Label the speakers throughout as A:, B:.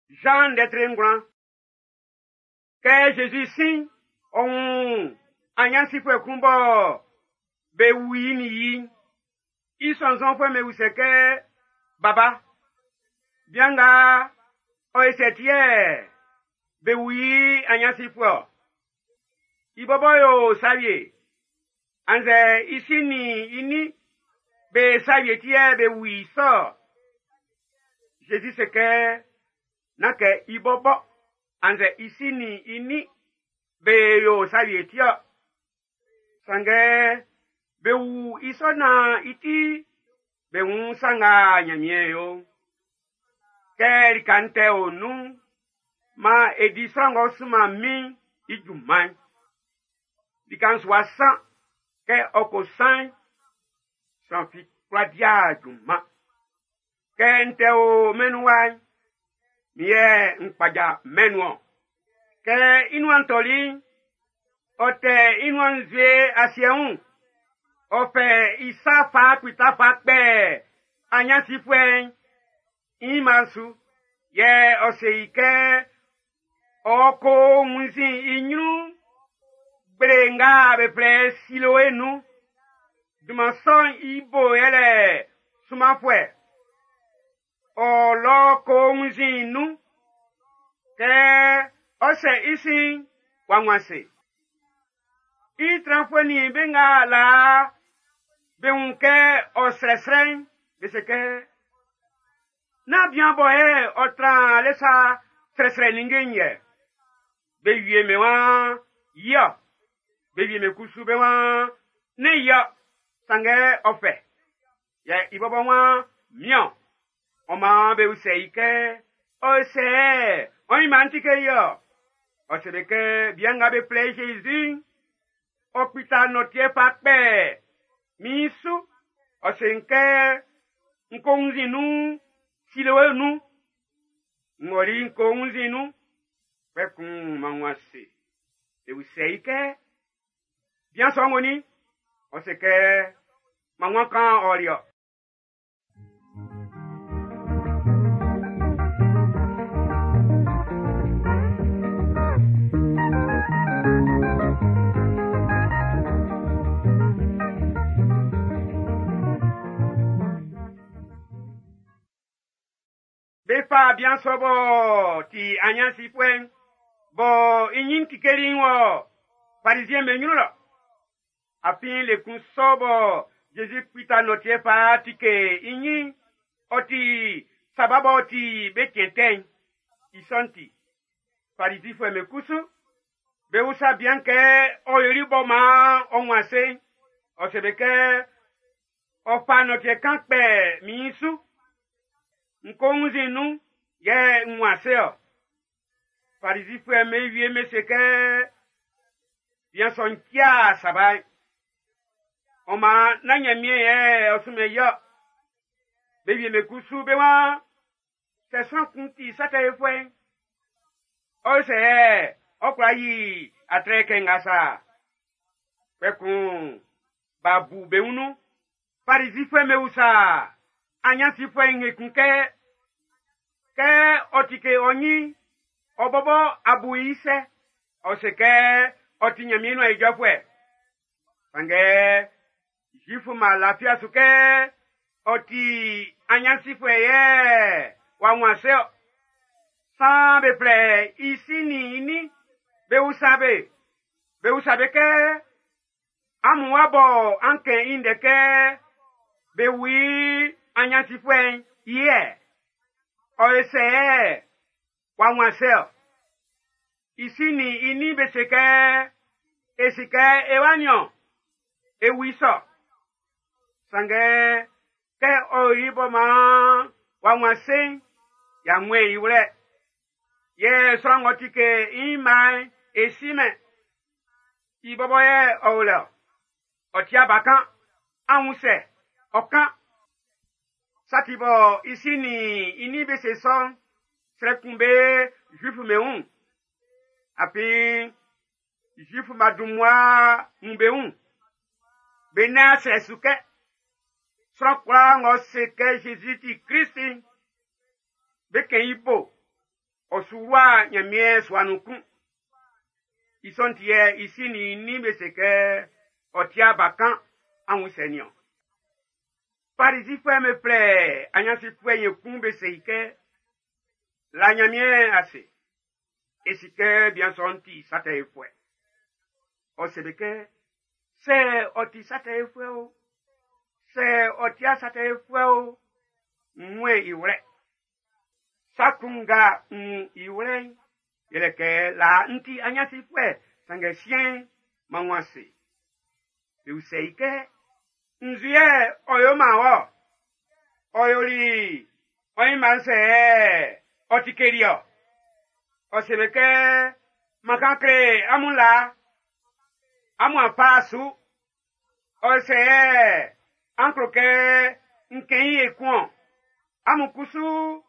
A: Jean ndɛtre ngwlan. Kɛ Zezi sín, ɔ wun anyansifuɛ kun bɔ be wu i nin yi'n. I sɔnnzɔnfuɛ'm be usɛ kɛ, Baba, bian nga ɔ ye sɛ ti yɛ be wu i anyansifuɛ ɔ? I bɔbɔ yo sa wie, annzɛ i si nin i nin be sa wie ti yɛ be wu i sɔ ɔ? Zezi se kɛ, nán kɛ i bɔbɔ annzɛ i si nin i nin be yo sa wie ti ɔ. Sanngɛ be wu i sɔ naan i ti be wun sa nga Ɲanmiɛn yo. Kɛ lika'n tɛ o nun'n, maan e di sran ng'ɔ sunman min'n i junman'n. Lika'n su wa san, kɛ ɔ ko san'n, sran fi kwla dia junman. Kɛ n tɛ o mɛn'n nun wa'n, min yɛ n kpaja mɛn'n nun ɔn. Kɛ i nuan tɔli'n, ɔ tɛ i nuan nzue asiɛ wun. Ɔ fɛ i sa fa kpita fa kpɛ anyansifuɛ'n i mma'n su. Yɛ ɔ se i kɛ ɔ ko wunnzin i ɲrun gble nga be flɛ Siloe nun. Dunman sɔ'n i bo yɛlɛ sunmanfuɛ. Ɔ lɔ ko wunnzin nun. Kɛ ɔ sɛ i sin, w'a wun ase. I tranfuɛ nin be nga laa be wun kɛ ɔ srɛsrɛ'n, be se kɛ, nán bian bɔ yɛ ɔ tran le sa srɛsrɛ ninnge'n yɛ. Be wie me waan, yɔ. Be wie me kusu be waan, ne yɔ. Sanngɛ ɔ fɛ. Yɛ i bɔbɔ waan, miɔn. Ɔ maan be usɛ i kɛ, ɔ sɛ ɔ yi man ti ke yɔ. Ɔ se be kɛ, bian nga be flɛ i Jésus, ɔ kpita nɔtiɛ fa kpɛ min su. Ɔ se n kɛ, n ko wunnzin nun, Siloe nun. N ɔli n ko wunnzin nun, kpɛkun m'an wun ase. Be usɛ i kɛ, bian sɔ'n wo ni? Ɔ se kɛ, m'an wun kan ɔli ɔ. Be fa bian sɔ b'ɔ ti anyansifuɛ'n, bɔ i ɲin tikeli'n wɔ Farizien be ɲrun lɔ. Afin le kun sɔ bɔ Zezi kpita nɔtiɛ fa tike i ɲin, ɔ ti saba b'ɔ ti be cɛn tɛ'n. I sɔ'n ti, Farizifuɛ'm be kusu, be usa bian kɛ ɔ yoli bɔ maan ɔ wun ase'n. Ɔ se be kɛ, ɔ fa nɔtiɛ kan kpɛ min su. N ko wunnzin nun, yɛ n wun ase ɔ. Farizifuɛ'm be wie me se kɛ, bian sɔ'n tia saba'n. Ɔ maan nán Ɲanmiɛn yɛ ɔ sunmɛn i ɔ. Be wie me kusu be waan, sɛ sran kun ti sa tɛ yofuɛ'n, ɔ sɛ ɔ kwla yi atrɛ kɛ nga sa. Kpɛkun b'a bu be wun nun. Farizifuɛ'm be usa anyansifuɛ'n ekun kɛ, kɛ ɔ tike ɔ ɲin, ɔ bɔbɔ a bu i sɛ, ɔ se kɛ ɔ ti Ɲanmiɛn nuan ijɔfuɛ. Sanngɛ Zuifu ma lafia su kɛ ɔ ti anyansifuɛ yɛ w'a wun ase ɔ. Saan be flɛ i si nin i nin, be usa be, be usa be kɛ, amun wa bɔ an kɛn i ndɛ kɛ be wu i anyansifuɛ'n i yɛ. Ɔ ye sɛ yɛ w'a wun ase ɔ. I si nin i nin be se kɛ, e si kɛ e wa niɔn, e wu i sɔ. Sanngɛ kɛ ɔ yoli bɔ maan w'a wun ase'n, y'a wun i wlɛ. Yɛ sran ng'ɔ tike i mma'n, e si mɛn. I bɔbɔ yɛ ɔ o lɛ ɔ. Ɔ ti abakan, an wun sɛ, ɔ kan. Sa ti bɔ i si nin i nin be se sɔ'n, srɛ kun be Zuifu be wun. Afin Zuifu ma dun mmua wun be wun. Be nan srɛ su kɛ, sran kwlaa ng'ɔ se kɛ Zezi ti Klist'n, be kɛn i bo. ɔ su wlu'a Nyanmiɛn sua nun kun. I sɔ'n ti yɛ i si nin i nin be se kɛ ɔ ti'a bakan anwunsɛ nin-ɔn. Farizifuɛ'm be flɛ anyansifuɛ'n ekun be se i kɛ, la Nyanmiɛn ase. E si kɛ bian sɔ'n ti sa tɛ yofuɛ. Ɔ se be kɛ, sɛ ɔ ti sa tɛ yofuɛ o, sɛ ɔ ti'a sa tɛ yofuɛ o, n wun i wlɛ. Sa kun nga n wun i wlɛ'n, yɛlɛ kɛ laa n ti anyansifuɛ, sanngɛ siɛn'n, m'an wun ase. Be usɛ i kɛ, nzu yɛ ɔ yo man wɔ? Ɔ yoli ɔ nyinma'n sɛ ɔ tikeli ɔ? Ɔ se be kɛ, man kan kle amun laa, amun a fa su. Ɔ sɛ an klo kɛ n kɛn i ekun-ɔn. Amun kusu,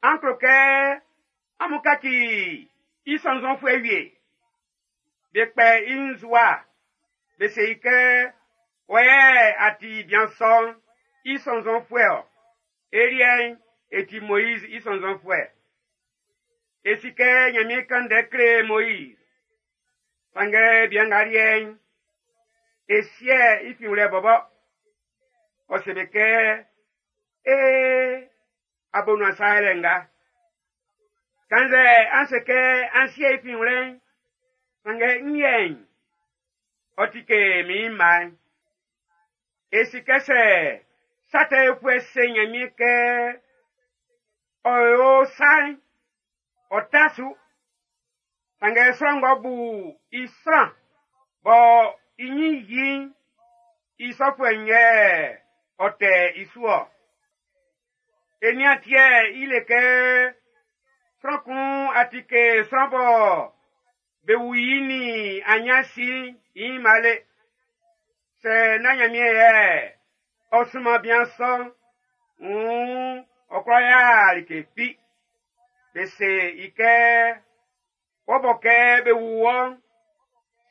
A: an klo kɛ amun kaci i sɔnnzɔnfuɛ wie. Be kpɛ i nzua, be se i kɛ, wɔ yɛ a ti bian sɔ'n i sɔnnzɔnfuɛ-ɔ. E liɛ'n, e ti Moiz i sɔnnzɔnfuɛ. E si kɛ Nyanmiɛn kan ndɛ kle Moiz. Sanngɛ bian nga liɛ'n, e sie i finwlɛ bɔbɔ. Ɔ se be kɛ, ee, abonuan sa yɛlɛ nga. Kannzɛ an se kɛ an sie i finwlɛ'n, sanngɛ n liɛ'n, ɔ ti ke min mma'n. E si kɛ sɛ sa tɛ yofuɛ se Nyanmiɛn kɛ ɔ yo sa'n, ɔ ta su. Sanngɛ sran ng'ɔ bu i sran bɔ i nyin yi'n, i sɔfuɛ'n yɛ ɔ tɛ i su-ɔ. E nian tiɛ i le kɛ sran kun a ti ke sran bɔ be wu i nin anyansi'n i nyinma le. Sɛ nán Nyanmiɛn yɛ ɔ sunman bian sɔ'n, wuun ɔ kwla ya like fi. Be se i kɛ, wɔ bɔ kɛ be wu wɔ'n,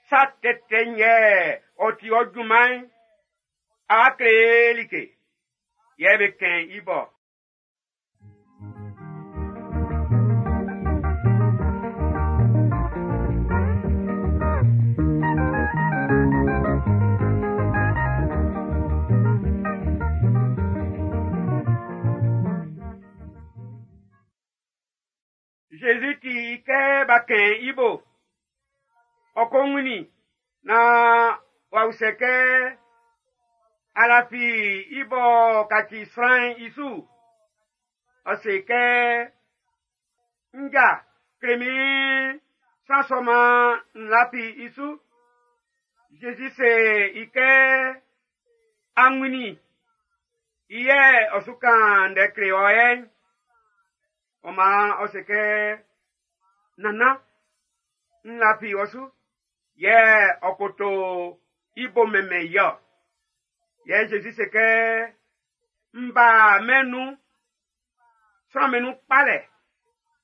A: sa tɛtɛ'n yɛ ɔ ti ɔ junman'n, a kle like, yɛ be kɛn i bɔ. Jésus ti kɛ b'a kɛn i bo. Ɔ ko wunnin na w'a usɛ kɛ alafi i bɔ kaci sran'n i su. Ɔ se kɛ, nja kle min sran sɔ man n lafi i su. Jésus se i kɛ, a wunnin i yɛ ɔ su kan ndɛ kle ɔ yɛ'n. Ɔ maan ɔ se kɛ, nannan, n lafi ɔ su. Yɛ ɔ koto i bo mɛnmɛn i ɔ. Yɛ Jésus se kɛ, n ba mɛn nun, sran mɛn nun kpalɛ.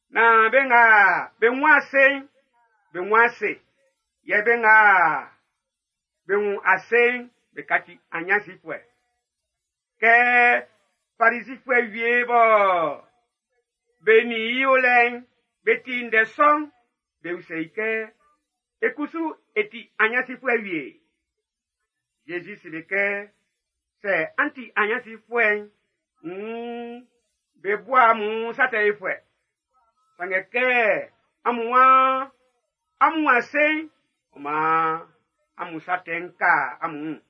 A: Na be nga be wun ase'n, be wun ase. Yɛ be nga be wun ase'n, be kaci anyansifuɛ. Kɛ Farisifuɛ wie bɔ be nin i o lɛ'n, be ti ndɛ sɔ'n, be usɛ i kɛ, e kusu e ti anyansifuɛ wie. Jésus se be kɛ, sɛ an ti anyansifuɛ'n, wuun be bu amun sa tɛ yofuɛ. Sanngɛ kɛ amun waan amun wun ase'n, ɔ maan amun sa tɛ'n ka amun wun.